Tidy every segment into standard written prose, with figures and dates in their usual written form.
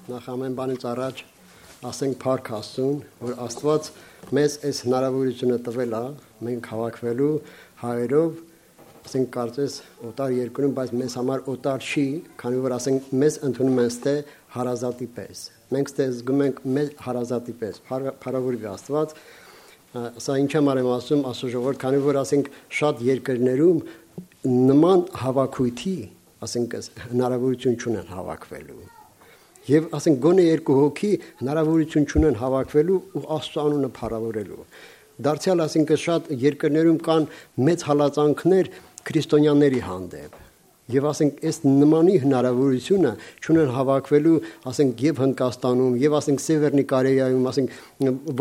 նախ ամեն բանից առաջ ասենք փառք Աստծուն, որ Աստված մեզ այս հնարավորությունը տվել է մենք հավաքվելու հայերով, ասենք կարծես օտար երկրում, բայց մեզ համար օտար չի, քանի որ ասենք մեզ ընդունում են ստե հարազատի պես։ Մենք ստե զգում ենք մեզ հարազատի պես, փառավորվի Աստված։ Սա ինչ համար եմ ասում, Աստծո ժողովուրդ, քանի որ ասենք շատ երկրներում նման հավաքույթի, ասենք հնարավորություն չունեն հավաքվելու։ Եվ ասենք գոնե երկու հոգի հնարավորություն չունեն հավաքվելու ու Աստծո անունը փառավորելու։ Դարձյալ ասենք շատ երկրներում կան մեծ հալածանքներ քրիստոնյաների հանդեպ։ Եվ ասենք այս նմանի հնարավորությունը չունեն հավաքվելու, ասենք եւ Հնդկաստանում, եւ ասենք Սևեռնի Կորեայում, ասենք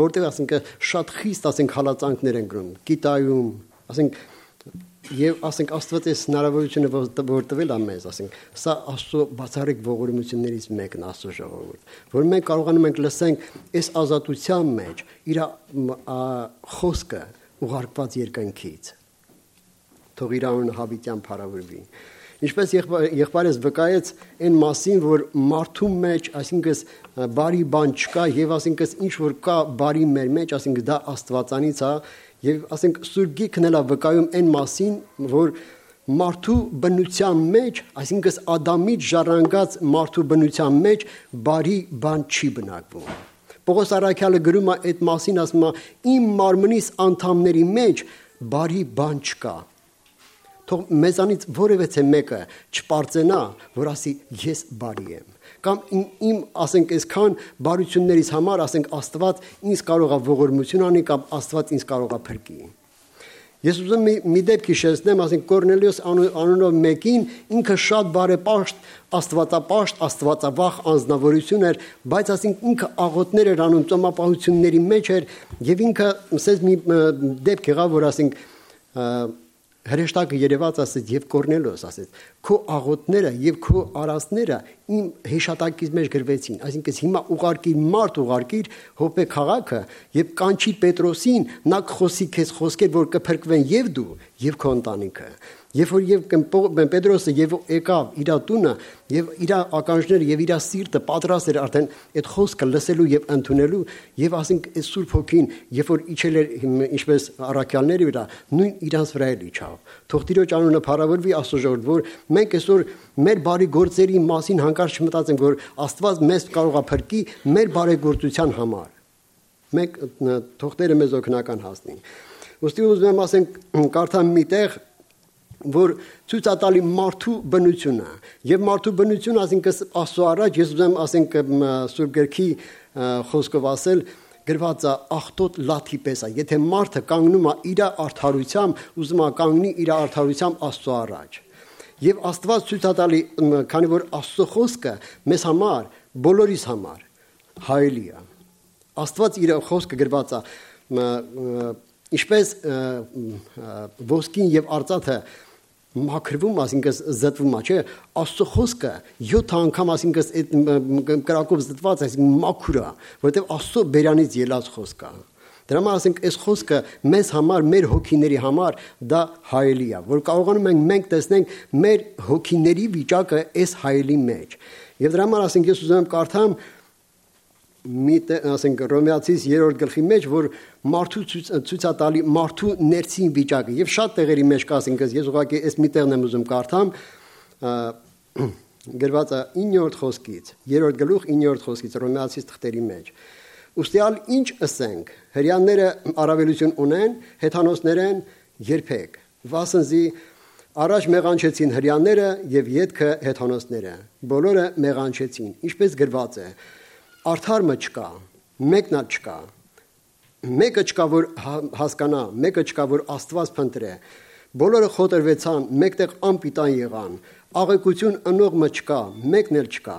որտեղ ասենք շատ խիստ ասենք հալածանքներ են գրում, Կիտայում, ասենք եւ ասենք Աստված այս հնարավորությունը որ տվել է մեզ, ասենք սա Աստծո բացառիկ ողորմություններից մեկն է Աստծո ժողովուրդ, որ մենք կարողանում ենք լսենք այս ազատության մեջ իր խոսքը ուղարկված երկնքից։ Թող իր անունը հավիտյան փառավորվի։ Ինչպես եղբայրս վկայեց այն մասին, որ մարդու մեջ, այսինքն բարի բան չկա եւ այսինքն ինչ որ կա բարի մեր մեջ, այսինքն դա Աստվածանից է եւ ասենք Սուրբ Գիրքն էլ է վկայում այն մասին, որ մարդու բնության մեջ, այսինքն Ադամից ժառանգած մարդու բնության մեջ բարի բան չի բնակվում։ Պողոս առաքյալը գրում է այդ մասին, ասում է իմ մարմնիս անդամների մեջ բարի բան չկա։ Թող մեզանից որևէ մեկը չպարծենա, որ ասի ես բարի եմ։ Կամ իմ ասենք այսքան բարություններից համար ասենք Աստված ինձ կարող է ողորմություն անի կամ Աստված ինձ կարող է փրկի։ Ես ուզում եմ մի դեպք հիշեցնեմ, ասենք Կորնելիոս անունով մեկին ինքը շատ բարեպաշտ, աստվածապաշտ, աստվածավախ անձնավորություն էր, բայց ասենք ինքը աղոթներ էր անում ծոմապահությունների մեջ էր եւ ինքը ասես մի դեպք եղավ, որ ասենք հրեշտակը երևաց ասեց եւ Կորնելիոս ասեց քո աղոթները եւ քո արածները իմ հեշտակից մեջ գրվեցին, այսինքն հիմա ուղարկիր մարդ ուղարկիր Հոպե քաղաքը եւ կանչի Պետրոսին, նա կխոսի քեզ խոսքեր, որ կփրկվեն եւ դու եւ քո ընտանիքը։ Երբ որ եւ Պետրոսը եւ եկավ իր տունը եւ իր ականջները եւ իր սիրտը պատրաստ էր արդեն այդ խոսքը լսելու եւ ընդունելու եւ ասենք այս Սուրբ Հոգին երբ որ իջել էր ինչպես առաքյալների վրա նույն իրանց վրա էլ իջավ։ Թող Տիրոջ անունը փառավորվի Աստծո ժողովուրդ, որ մենք այսօր մեր բարի գործերի մասին հանկարծ չմտածենք, որ Աստված մեզ կարող է փրկի մեր բարեգործության համար։ Մենք թող Տերը մեզ օգնական հասնի։ Ոստի ուզում եմ ասենք կարդամ մի տեղ որ ցույցատալի մարդու բնությունը եւ մարդու բնությունը ասինքն Աստծո առաջ ես ուզում ասենք Սուրբ Գրքի խոսքով ասել գրված է աղտոտ լաթի պես է եթե մարդը կանգնում է իր արդարությամբ ուզում է կանգնի իր արդարությամբ Աստծո առաջ եւ Աստված ցույցատալի քանի որ Աստծո խոսքը մեզ համար բոլորիս համար հայելի է Աստված իր խոսքը գրված է ինչպես ոսկին եւ արծաթը մաքրվում, այսինքն զտվում է, չէ՞, Աստծո խոսքը 7 անգամ, այսինքն այդ կրակով զտված, այսինքն մաքուր է, որովհետև Աստծո բերանից ելած խոսք է։ Դրա համար ասենք այս խոսքը մեզ համար, մեր հոգիների համար դա հայելի է, որ կարողանում ենք մենք տեսնենք մեր հոգիների վիճակը այս հայելի մեջ։ Եվ դրա համար ասենք ես ուզում եմ կարդամ ասենք Հռոմեացիս 3-րդ գլխի մեջ, որ մարդու ցույցատալի մարդու ներքին վիճակը եւ շատ տեղերի մեջ կա, ասենք ես ուղղակի այս մի տեղն եմ ուզում կարդամ, գրված է 9-րդ խոսքից, 3-րդ գլուխ 9-րդ խոսքից Հռոմեացիս թղթերի մեջ։ Ուստիալ ինչ ասենք, հрьяաները առավելություն ունեն, հեթանոսներեն երբեք, վասնզի առաջ մեղանչեցին հрьяաները եւ ետքը հեթանոսները, բոլորը մեղանչեցին, ինչպես գրված է Արդարը չկա, մեկն էլ չկա, մեկը չկա, որ հասկանա, մեկը չկա, որ Աստված փնտրե, բոլորը խոտրվեցան, մեկտեղ անպիտան եղան, աղեկություն ընողը չկա, մեկն էլ չկա,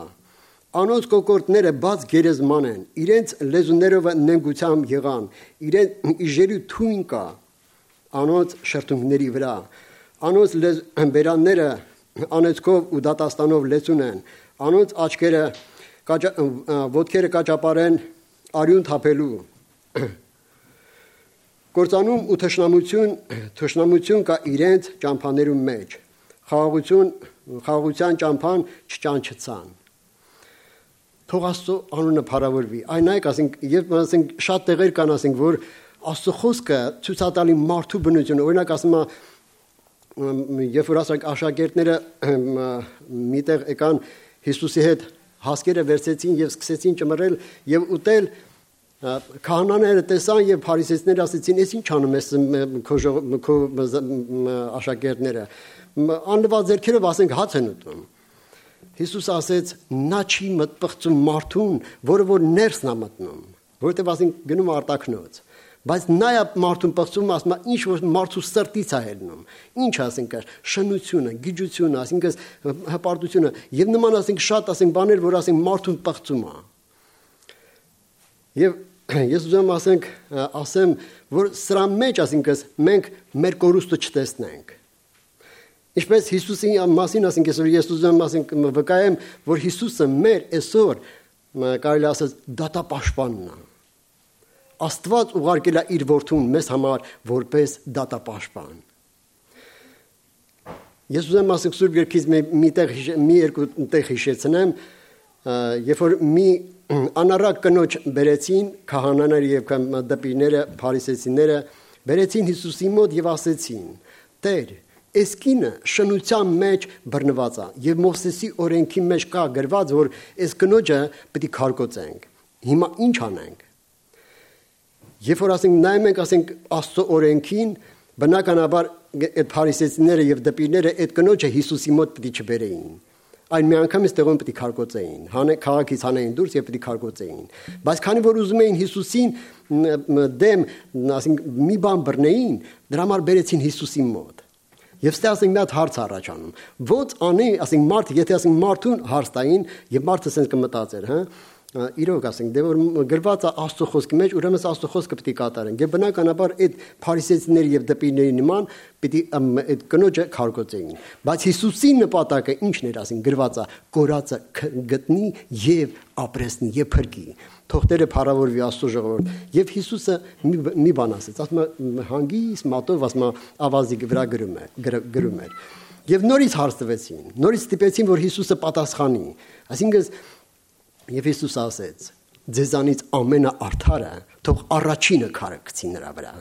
անոնց կոկորտները բաց գերեզման են, իրենց լեզուներով նենգությամբ եղան, իրենց իժերի թույն կա, անոնց շրթունքների վրա, անոնց բերանները անեծքով ու դատաստանով լեցուն են, անոնց աչքերը ոտքերը կաճապարեն արյուն թափելու կործանում ու թշնամություն կա իրենց ճամփաներում մեջ խաղաղության ճամփան չճանչցան Թող Աստծո անունը փառավորվի։ Այն նայեք, ասենք, եւ ասենք շատ տեղեր կան, ասենք, որ Աստծո խոսքը ցույցատալի մարդու բնությունը, օրինակ ասում է, երբ որ ասենք աշակերտները միտեղ եկան Հիսուսի հետ հասկերը վերցեցին եւ սկսեցին ճմռել եւ ուտել, քահանաները տեսան եւ փարիսեցիները ասեցին, «Էս ինչ անում ես քո աշակերտները»։ Անլվա ձեռքերով ասենք հաց են ուտում։ Հիսուս ասեց, նա չի մտպղծում մարդուն, որը որ ներսն է մտնում, որովհետև ասենք գնում արտաքնոց։ Բայց նա է մարդուն պղծում, ասում է, ինչ որ մարդու սրտից է ելնում։ Ինչ ասենք, շնությունը, գիջությունը, ասենք հպարտությունը եւ նման ասենք շատ ասենք բաներ, որ ասենք մարդուն պղծում է։ Եվ ես ուզում ասեմ, որ սրա մեջ ասենք մենք մեր կորուստը չտեսնենք։ Ինչպես Հիսուսի մասին ասենք, ես ուզում ասենք վկայեմ, որ Հիսուսը մեր այսօր կարելի ասած դատապաշտպանն է։ Աստված ուղարկել է իր որդուն մեզ համար որպես դատապաշտպան։ Ես ուզում ասենք Սուրբ Գրքից մի երկու տեղ հիշեցնեմ, երբ որ մի անառակ կնոջ բերեցին քահանաները եւ դպիները, փարիսեցիները, բերեցին Հիսուսի մոտ եւ ասեցին. «Տեր, այս կինը շնության մեջ բռնված է եւ Մովսեսի օրենքի մեջ կա գրված, որ այս կնոջը պետք է քարկոծենք։ Հիմա ինչ անենք»։ Երբ որ ասենք նայում ենք ասենք Աստծո օրենքին, բնականաբար այդ փարիսեցիները եւ դպիները այդ կնոջը Հիսուսի մոտ պետք չբերեին։ Այն միանգամից տեղում պետք է քարկոծեին, քաղաքից հանեին դուրս եւ պետք է քարկոծեին։ Բայց քանի որ ուզում էին Հիսուսին դեմ ասենք մի բան բռնեին, դրա համար բերեցին Հիսուսի մոտ։ Եվ ստե ասենք մի հատ հարց առաջանում։ Ո՞նց անի, ասենք մարդ, եթե ասենք մարդուն հարց տային եւ մարդը ասենք կմտածեր, հա։ Իրոք ասենք, դե որ գրված է Աստծո խոսքի մեջ, ուրեմն Աստծո խոսքը պետք է կատարենք։ Եվ բնականաբար այդ փարիսեցիների եւ դպիների նման պետք է այդ կնոջը քարկոծեին։ Բայց Հիսուսի նպատակը ինչն էր, ասենք, գրված է կորածը գտնի եւ ապրեսնի եւ փրկի։ Թող Տերը փառավորվի Աստծո ժողովուրդ։ Եվ Հիսուսը մի բան ասեց, ասում է հանգիստ մատով, ասում է ավազի վրա գրում էր։ Եվ նորից հարց տվեցին, նորից ստիպեցին, որ Հիսուսը պատասխանի։ Այսինքն Եվ Հիսուս ասեց. «Ձեզանից ամենաարդարը թող առաջինը քարը գցի նրա վրա»։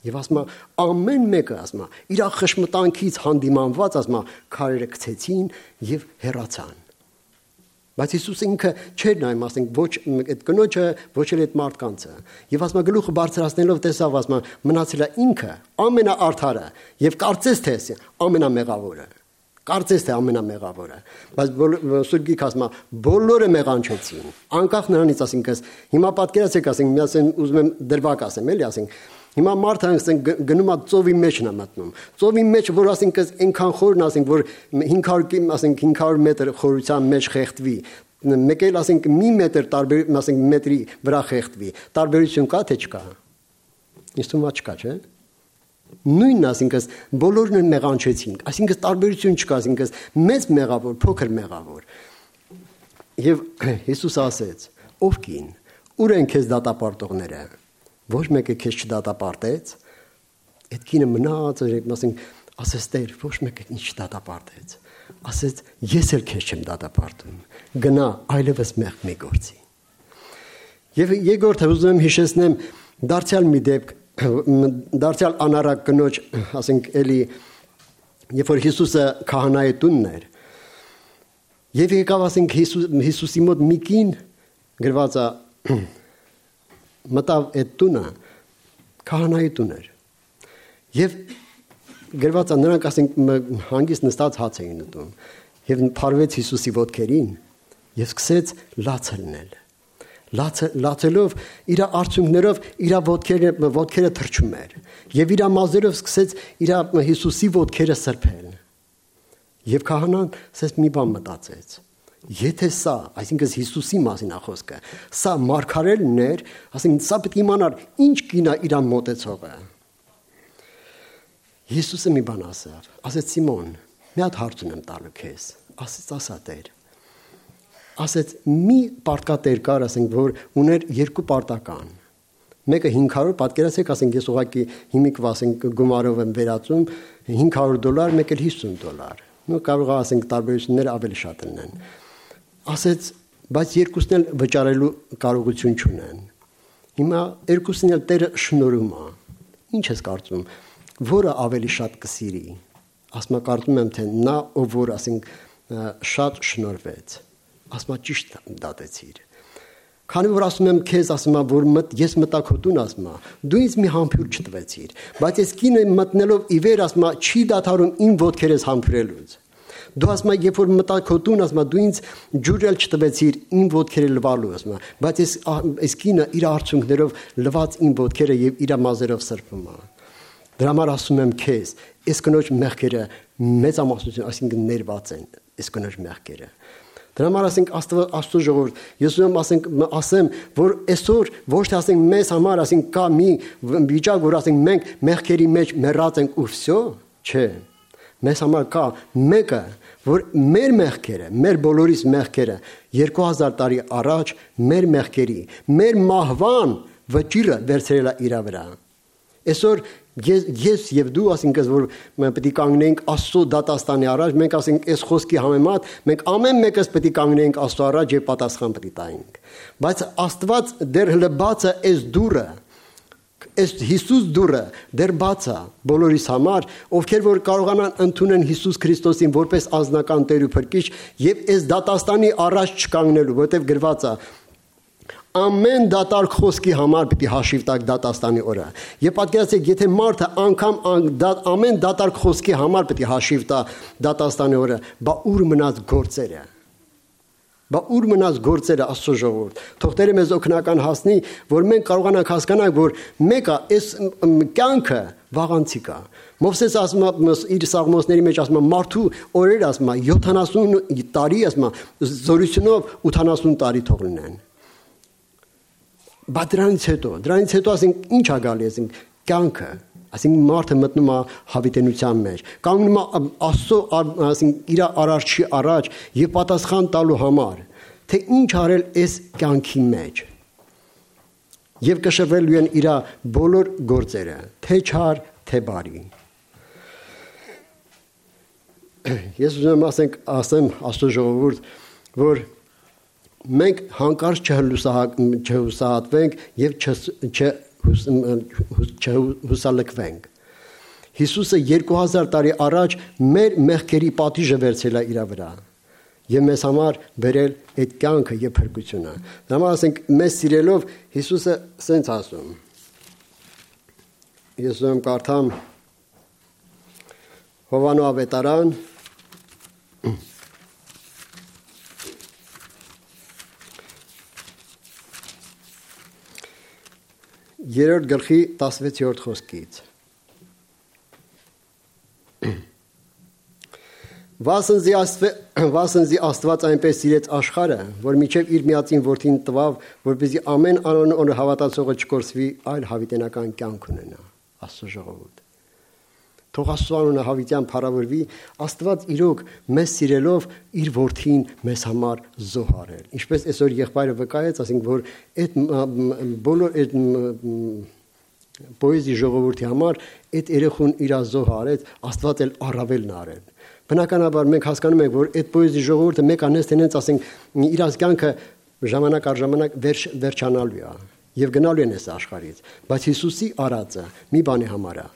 Եվ ասում է ամեն մեկը ասում է իր խշմտանքից հանդիմանված ասում է քարերը գցեցին եւ հեռացան։ Բայց Հիսուսը ինքը չէր նայում, ասենք, ոչ այդ կնոջը, ոչ էլ այդ մարդկանցը։ Եվ ասում է գլուխը բարձրացնելով տեսավ, ասում է մնացել է ինքը ամենաարդարը եւ կարծես թե ամենամեղավորը։ Կարծես թե ամենամեղավորը, բայց Սուրբ Գիրքը ասում է բոլորը մեղանչեցին, անկախ նրանից, ասենք, հիմա պատկերացրեք, ասենք, միասին ուզում եմ դրվագ ասեմ, էլի, ասենք, հիմա մարդը ասենք գնում է ծովի մեջն է մտնում, ծովի մեջ, որ ասենք այնքան խորն, ասենք, որ 500 մետր խորության մեջ խեղդվի, մեկ էլ ասենք մի մետր տարբեր, ասենք մետրի վրա խեղդվի, տարբերություն կա թե չկա։ Ինձ թվում է չկա, չէ՞։ Նույնն ասինքն բոլորն մեղանչեցին, այսինքն տարբերություն չկա, այսինքն մեծ մեղավոր, փոքր մեղավոր։ Եվ Հիսուս ասեց. «Ով կին, ուր են քեզ դատապարտողները»։ Ոչ մեկը քեզ չդատապարտեց։ Այդ կինը մնաց, ասենք, ասեց Տեր, ոչ մեկը ինձ չդատապարտեց։ Ասեց. «Ես էլ քեզ չեմ դատապարտում։ Գնա, այլևս մեղք մի գործի»։ Եվ երկրորդը ուզում եմ հիշեցնեմ դարձյալ մի դեպք, դարձյալ անառակ կնոջ, ասենք, էլի, երբ որ Հիսուսը քահանայի տունն էր, եւ եկավ, ասենք, Հիսուսի մոտ մի կին գրված է մտավ այդ տունը, քահանայի տուն էր, եւ գրված է նրանք, ասենք, հանգիստ նստած հաց էին ուտում, եւ փարվեց Հիսուսի ոտքերին եւ սկսեց լաց լնել։ Լացելով իր արցունքներով իր ոտքերը թրջում էր եւ իր մազերով սկսեց իր Հիսուսի ոտքերը սրբել։ Եվ քահանան ասես մի բան մտածեց. եթե սա, այսինքն Հիսուսի մասին է խոսքը, սա մարգարելն էր, ասենք սա պետք է իմանար ինչ կինա իր մոտեցողը։ Հիսուսը մի բան ասավ, ասեց Սիմոն, մի հատ հարց ունեմ տալու քեզ, ասա Տեր։ Ասեց մի պարտկատեր կար, ասենք, որ ուներ երկու պարտական։ Մեկը 500, պատկերացրեք, ասենք, ես ուղղակի հիմիկව, ասենք, գումարով եմ վերածում, $500, մեկը $50։ Նո կարող է, ասենք, տարբերությունները ավելի շատ լինեն։ Ասեց բայց երկուսն էլ վճարելու կարողություն չունեն։ Հիմա երկուսն էլ Տերը շնորհում է։ Ինչ ես կարծում, որը ավելի շատ կսիրի։ Ասма կարծում եմ, թե նա, ով որ ասենք շատ շնորհվեց, ասма ճիշտ դատեցիր։ Քանի որ ասում եմ քեզ, ասում եմ, որ ես մտա քո տուն, ասում եմ, դու ինձ մի համբույր չտվեցիր, բայց ես կինը մտնելով ի վեր, ասում եմ, չի դադարում իմ ոտքերս համբուրելուց։ Դու ասում եմ, երբ որ մտա քո տուն, ասում եմ, դու ինձ ջուր էլ չտվեցիր իմ ոտքերը լվալու, ասում եմ, բայց այս կինը իր արցունքներով լված իմ ոտքերը եւ իր մազերով սրբում է։ Դրա համար ասում եմ քեզ, այս կնոջ մեղքերը մեծամասնություն, այսինքն ներված են, այս կնոջ մեղքերը։ Դրա համար ասենք Աստծո ժողովուրդ, ես ուզում ասեմ, որ այսօր ոչ թե ասենք մեզ համար ասենք կա մի վիճակ, որ ասենք մենք մեղքերի մեջ մեռած ենք ու վсё, չէ։ Մեզ համար կա մեկը, որ մեր մեղքերը, մեր բոլորիս մեղքերը 2000 տարի առաջ մեր մեղքերի, մեր մահվան վճիռը վերցրել է իր վրա։ Այսօր ես եւ դու ասենք որ պետք է կանգնենք Աստծո դատաստանի առաջ, մենք ասենք այս խոսքի համեմատ մենք ամեն մեկս պետք է կանգնենք Աստծո առաջ եւ պատասխան պետք է տայինք։ Բայց Աստված դեռ հլը բացը այս դուրը, այս Հիսուս դուրը դեռ բացա բոլորիս համար, ովքեր որ կարողանան ընդունեն Հիսուս Քրիստոսին որպես անձնական Տեր ու Փրկիչ եւ այս դատաստանի առաջ չկանգնելու, որտեղ գրված է ամեն դատարկ խոսքի համար պիտի հաշիվ տակ դատաստանի օրը։ Եվ պատկերացրեք, եթե մարդը անգամ ամեն դատարկ խոսքի համար պիտի հաշիվ տա դատաստանի օրը, բա ուր մնաց գործերը։ Բա ուր մնաց գործերը Աստծո ժողովուրդ։ Թող Տերը մեզ օգնական հասնի, որ մենք կարողանանք հասկանալ, որ մեկը այս կյանքը վաղանցիկ է։ Մովսես ասում է իր սաղմոսների մեջ ասում է մարդու օրերը ասում է 70 տարի ասում է զորությունով 80 տարի թող լինեն։ Բայց դրանից հետո ասենք ինչ է գալի, ասենք կյանքը, ասենք մարդը մտնում է հավիտենության մեջ, կանգնում է Աստծո ասենք իր արարչի առաջ եւ պատասխան տալու համար, թե ինչ արել այս կյանքի մեջ։ Եվ կշռվելու են իր բոլոր գործերը, թե չար, թե բարի։ Ես ուզում ասեմ Աստծո ժողովուրդ, որ մենք հանկարծ չհուսահատվենք եւ չհուսալքվենք։ Հիսուսը 2000 տարի առաջ մեր մեղքերի պատիժը վերցրել է իր վրա եւ մեզ համար բերել այդ կյանքը եւ փրկությունը։ Դա համար ասենք մեզ սիրելով Հիսուսը սենց ասում։ Ես ուզում կարդամ Հովանո ավետարան 3-րդ գլխի 16-րդ խոսքից։ Վասնզի Աստված այնպես սիրեց աշխարհը, որ միջև իր միածին որդին տվավ, որպեսզի ամեն անոնը հավատացողը չկորսվի, այլ հավիտենական կյանք ունենա։ Աստծո ժողովուրդ։ Թող Աստծո անունը հավիտյան փառավորվի, Աստված իրոք մեզ սիրելով իր որդին մեզ համար զոհարել։ Ինչպես այսօր եղբայրը վկայեց, ասենք որ այդ բոլոր այդ պոեզի ժողովրդի համար այդ երեխուն իր զոհարեց, Աստված էլ առավելն արել։ Բնականաբար մենք հասկանում ենք, որ այդ պոեզի ժողովուրդը մեկ անես տենենց ասենք իր կյանքը ժամանակ առ ժամանակ վերջանալու է եւ գնալու են այս աշխարհից, բայց Հիսուսի արածը մի բանի համար է։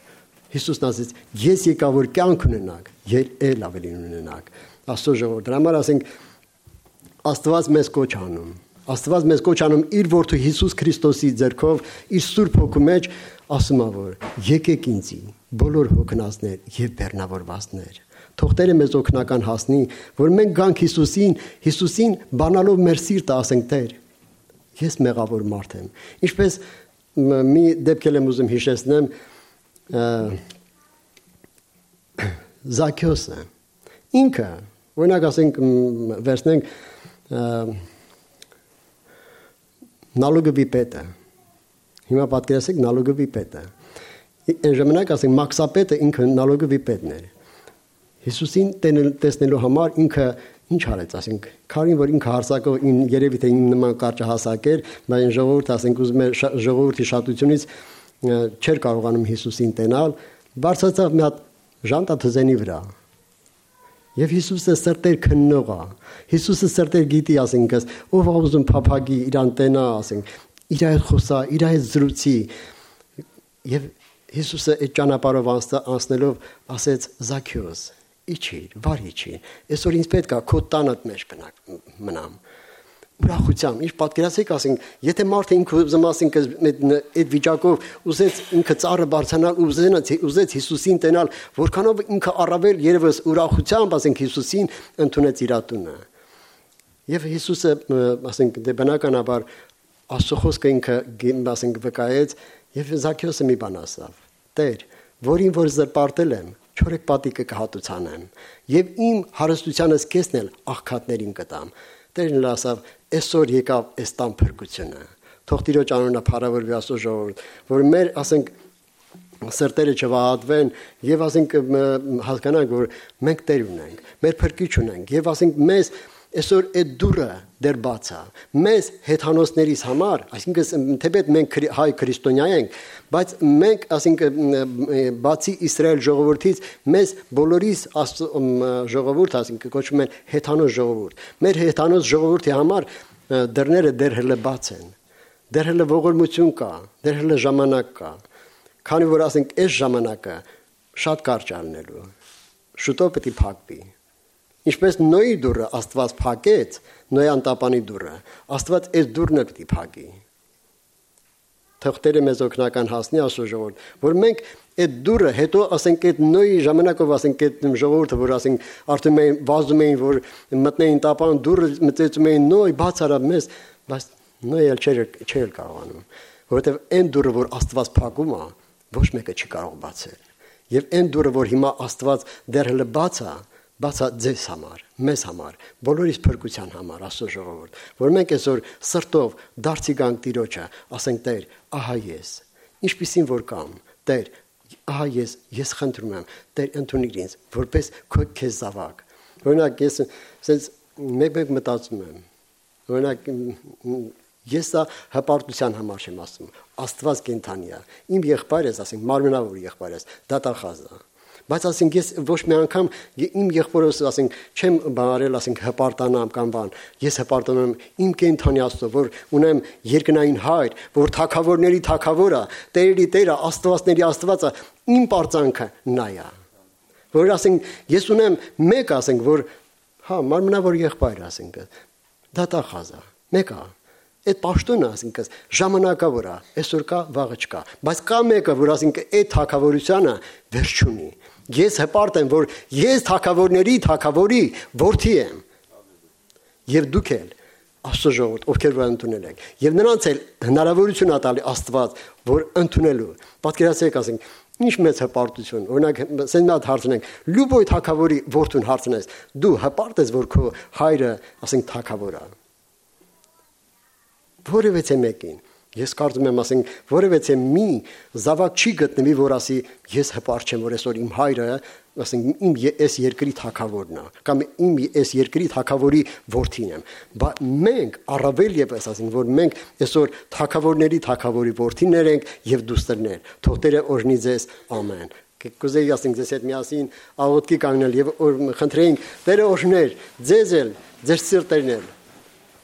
Հիսուսն ասեց, ես եկա որ կյանք ունենաք, ել ավելին ունենաք։ Աստծո ժողովուրդ, դրա համար ասենք Աստված մեզ կոչ անում։ Աստված մեզ կոչ անում իր որդու Հիսուս Քրիստոսի ձեռքով, իր Սուրբ Հոգու մեջ, ասում է որ եկեք ինձի, բոլոր հոգնածներ եւ բեռնավորվածներ։ Թող Տերը մեզ օգնական հասնի, որ մենք գանք Հիսուսին բանալով մեր սիրտը ասենք Տեր, ես մեղավոր մարդ եմ։ Ինչպես մի դեպք եմ ուզում հիշեցնեմ Զաքեոսը ինքը օրինակ ասենք վերցնենք նալոգովի պետը հիմա պատկերացրեք նալոգովի պետը այն ժամանակ ասենք մաքսապետը ինքը նալոգովի պետն էր Հիսուսին տեսնելու համար ինքը ինչ արեց ասենք քարին որ ինքը հարսակով երևի թե նման կարճահասակ էր բայց ժողովուրդը ասենք ուզում է ժողովրդի շատությունից չէր կարողանում Հիսուսին տենալ, բարձրացավ մի հատ ժանտա թզենի վրա Եվ Հիսուսը սրտեր քննող է։ Հիսուսը սրտեր գիտի, ասենք, ով ուզում փափագի իրան տենա, ասենք, իր հետ խոսա, իր հետ զրուցի։ Եվ Հիսուսը այդ ճանապարհով անցնելով ասեց Զաքեոս, իջիր, վար իջիր։ Այսօր ինձ պետք է քո տանդ մեջ մնամ։ Ուրախությամբ, ինչ պատկերացեք, ասենք, եթե մարդը ինքը ուզում ասենք այդ վիճակով ուզեց ինքը ծառը բարձրանալ, ուզեց Հիսուսին տենալ, որքանով ինքը առավել երևս ուրախությամբ, ասենք, Հիսուսին ընդունեց իր տունը։ Եվ Հիսուսը, ասենք, դե բնականաբար Աստծո խոսքը ինքը, ասենք, վկայեց, եւ Զաքեոսը մի բան ասավ. Տեր, որին որ զրպարտել եմ, 4 պատիկը կհատուցանեմ, եւ իմ հարստությանս կեսն էլ աղքատներին կտամ։ Տերն ասավ, այսօր եկավ այս տան փրկությունը։ Թող Տիրոջ անունը փառավորվի Աստծո ժողովուրդ, որ մեր, ասենք, սրտերը չվահատվեն եւ ասենք հասկանանք, որ մենք Տեր ունենք, մեր փրկիչ ունենք եւ ասենք մեզ այսօր այդ դուրը դեռ բաց է։ Մեզ հեթանոսներիս համար, այսինքն թեպետ մենք հայ քրիստոնյա ենք, բայց մենք, ասենք, բացի Իսրայել ժողովրդից, մեզ բոլորիս ժողովուրդ, ասենք, կոչվում են հեթանոս ժողովուրդ։ Մեր հեթանոս ժողովրդի համար դռները դեռ հələ բաց են։ Դեռ հələ ողորմություն կա, դեռ հələ ժամանակ կա։ Քանի որ ասենք այս ժամանակը շատ կարճ ալնելու։ Շուտով պետք է փակվի։ Ինչպես Նոյի դուրը Աստված փակեց, Նոյի անտապանի դուրը, Աստված այս դուրն էլ պետք է փակի։ Թող Տերը մեզ օգնական հասնի Աստծո ժողովուրդ, որ մենք այդ դուրը հետո ասենք այդ Նոյի ժամանակով ասենք այդ ժողովուրդը, որ ասենք արդեն մենք վազում էին, որ մտնեին տապան դուրը, մտածում էին Նոյ բաց արա մեզ, բայց Նոյը չէր կարողանում, որովհետև այն դուրը, որ Աստված փակում է, ոչ մեկը չի կարող բացել։ Եվ այն դուրը, որ հիմա Աստված դեռ հələ բաց է, բացա ձեզ համար, մեզ համար, բոլորիս փրկության համար, Աստծո ժողովուրդ, որ մենք այսօր սրտով դարձի գանք Տիրոջը, ասենք Տեր, ահա ես, ինչպիսին որ կամ, Տեր, ահա ես խնդրում եմ, Տեր ընդունիր ինձ, որպես քեզ զավակ։ Օրինակ ես ասես մեկ մտածում եմ, օրինակ ես սա հպարտության համար չեմ ասում, Աստված կենթանի է, իմ եղբայրս, ասենք մարմնավոր եղբայրս, դատախազ է։ Բայց ասենք ես ոչ մի անգամ իմ եղբորս ասենք չեմ բարել ասենք հպարտանամ կամ բան, ես հպարտանում եմ իմ կենթանի Աստծո, որ ունեմ երկնային հայր, որ թագավորների թագավորը, Տերերի Տերը, Աստվածների Աստվածը, իմ պարծանքը նա է։ Որ ասենք ես ունեմ մեկ ասենք, որ հա մարմնավոր եղբայր ասենք, դատախազ է, մեկ է։ Այդ պաշտոնը ասենք ժամանակավոր է, այսօր կա, վաղը չկա, բայց կա մեկը, որ ասենք այդ թագավորությունը վերջ չունի։ Ես հպարտ եմ, որ ես թագավորների թագավորի որդի եմ։ Եվ դուք էլ Աստծո ժողովուրդ, ովքեր որ ընդունել եք, եւ նրանց էլ հնարավորություն ատալի Աստված, որ ընդունելու։ Պատկերացրեք, ասենք, ինչ մեծ հպարտություն։ Օրինակ, սենատ հարցնենք, լուբոյ թագավորի որդուն հարցնես, դու հպարտ ես, որ քո հայրը, ասենք, թագավոր է։ Որևէ մեկին ես կարծում եմ ասենք որևէ մի զավակ չի գտնվի որ ասի ես հպարտ չեմ որ այսօր իմ հայրը ասենք իմ այս երկրի թագավորն է կամ իմ այս երկրի թագավորի որդին եմ բայց մենք առավել եւս ասենք որ մենք այսօր թագավորների թագավորի որդիներ ենք եւ դուստերներ թող Տերը օրհնի ձեզ ամեն կուզեի ասենք ձեզ հետ միասին աղոթքի կանգնել եւ խնդրեինք Տերը օրհներ ձեզ էլ ձեր սիրտերն էլ